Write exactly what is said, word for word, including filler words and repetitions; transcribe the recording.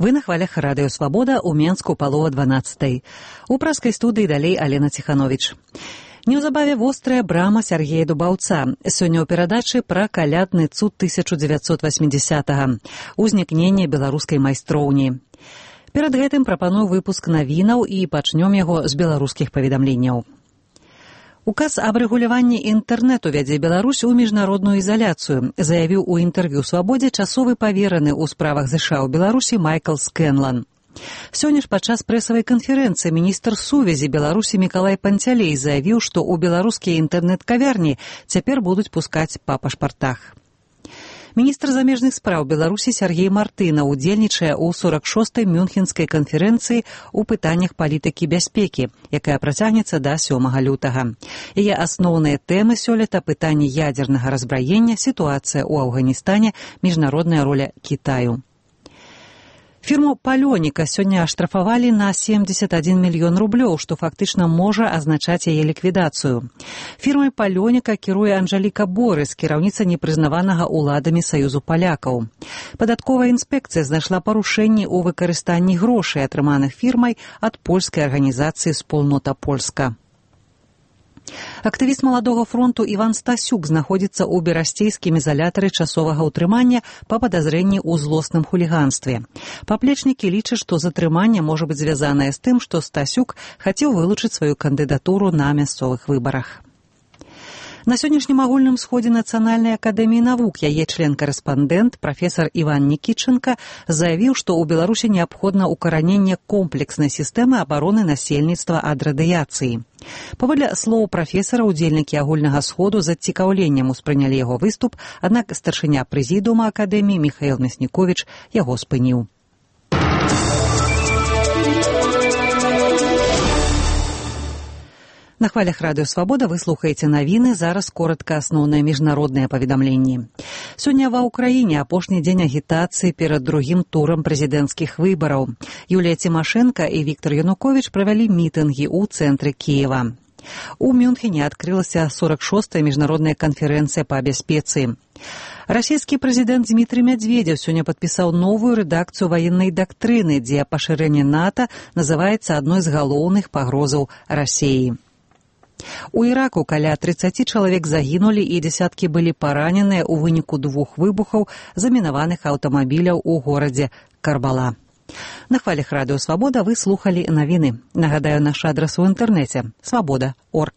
Вы на хвалях радыё «Свабода» ў Менску палова дванаццатай. У праскай студыі далей Алена Ціхановіч. Неўзабаве вострая брама Сяргея Дубаўца. Сёння ў перадачы пра калядны цуд тысяча дзевяцьсот васьмідзясятага. Узнікненне беларускай майстроўні. Перад гэтым прапаную выпуск навінаў і пачнём яго з беларускіх паведамленняў. Указ аб рэгуляванні інтэрнэту вядзе Беларусь у міжнародную ізаляцыю, заявіў у інтэрв'ю «Свабодзе» часовы павераны ў справах ЗША ў Беларусі Майкл Скэнлан. Сёння ж падчас прэсавай канферэнцыі міністр сувязі Беларусі Мікалай Панцялей заявіў, што ў беларускія інтэрнэт-кавярні цяпер будуць пускаць па пашпартах. Міністр замежных спраў Беларусі Сяргей Мартына удзельнічае ў сорак шостай Мюнхенскай канферэнцыі ў пытаннях палітыкі бяспекі, якая працягнецца да сёмага лютага. Яе асноўныя тэмы сёлета пытанні ядзернага разбраення, сітуацыя ў Афганістане, міжнародная роля Кітаю. Фірму «Палёніка» сёння аштрафавалі на семьдесят один мільён рублёў, што фактычна можа азначаць яе ліквідацыю. Фірмай «Палёніка» кіруе Анжаліка Борыс, кіраўніца непрызнаванага ўладамі Саюзу палякаў. Падатковая інспекцыя знайшла парушэнні ў выкарыстанні грошай, атрыманых фірмай ад польскай арганізацыі «Спольнота Польска». Актывіст маладога фронту Іван Стасюк знаходзіцца ў берасцейскім ізалятары часовага ўтрымання па падазрэнні ў злосным хуліганстве. Паплечнікі лічаць, што затрыманне можа быць звязанае з тым, што Стасюк хацеў вылучыць сваю кандыдатуру на мясцовых выбарах. На сённяшнім агульным сходзе Нацыянальнай акадэміі навук яе член-карэспандэнт, прафесар Іван Нікітчанка, заявіў, што ў Беларусі неабходна ўкараненне комплекснай сістэмы абароны насельніцтва ад радыяцыі. Паводле слоў прафесара, удзельнікі агульнага сходу з зацікаўленнем успрынялі яго выступ, аднак старшыня прэзідыума акадэміі Міхаіл Мясніковіч яго спыніў. На хвалях радыё «Свабода» вы слухаеце навіны, зараз коратка асноўныя міжнародныя паведамленні. Сёння ва ўкраіне апошні дзень агітацыі перад другім турам прэзідэнцкіх выбараў. Юлія Цімашэнка і Віктор Януковіч правялі мітынгі ў цэнтры Кіева. У Мюнхене адкрылася сорак шостая міжнародная канферэнцыя па бяспецы. Расійскі прэзідэнт Дмітрый Мядзведзеў сёння падпісаў новую рэдакцыю ваеннай дактрыны, дзе пашырэнне НАТО называецца адной з галоўных пагрозаў Расіі. У Іраку каля трыццаці чалавек загінулі і дзесяткі былі параненыя ў выніку двух выбухаў замінаваных аўтамабіляў у горадзе Карбала. На хвалях радыё «Свабода» вы слухалі навіны. Нагадаю, наш адрас у інтэрнэце – свабода точка орг.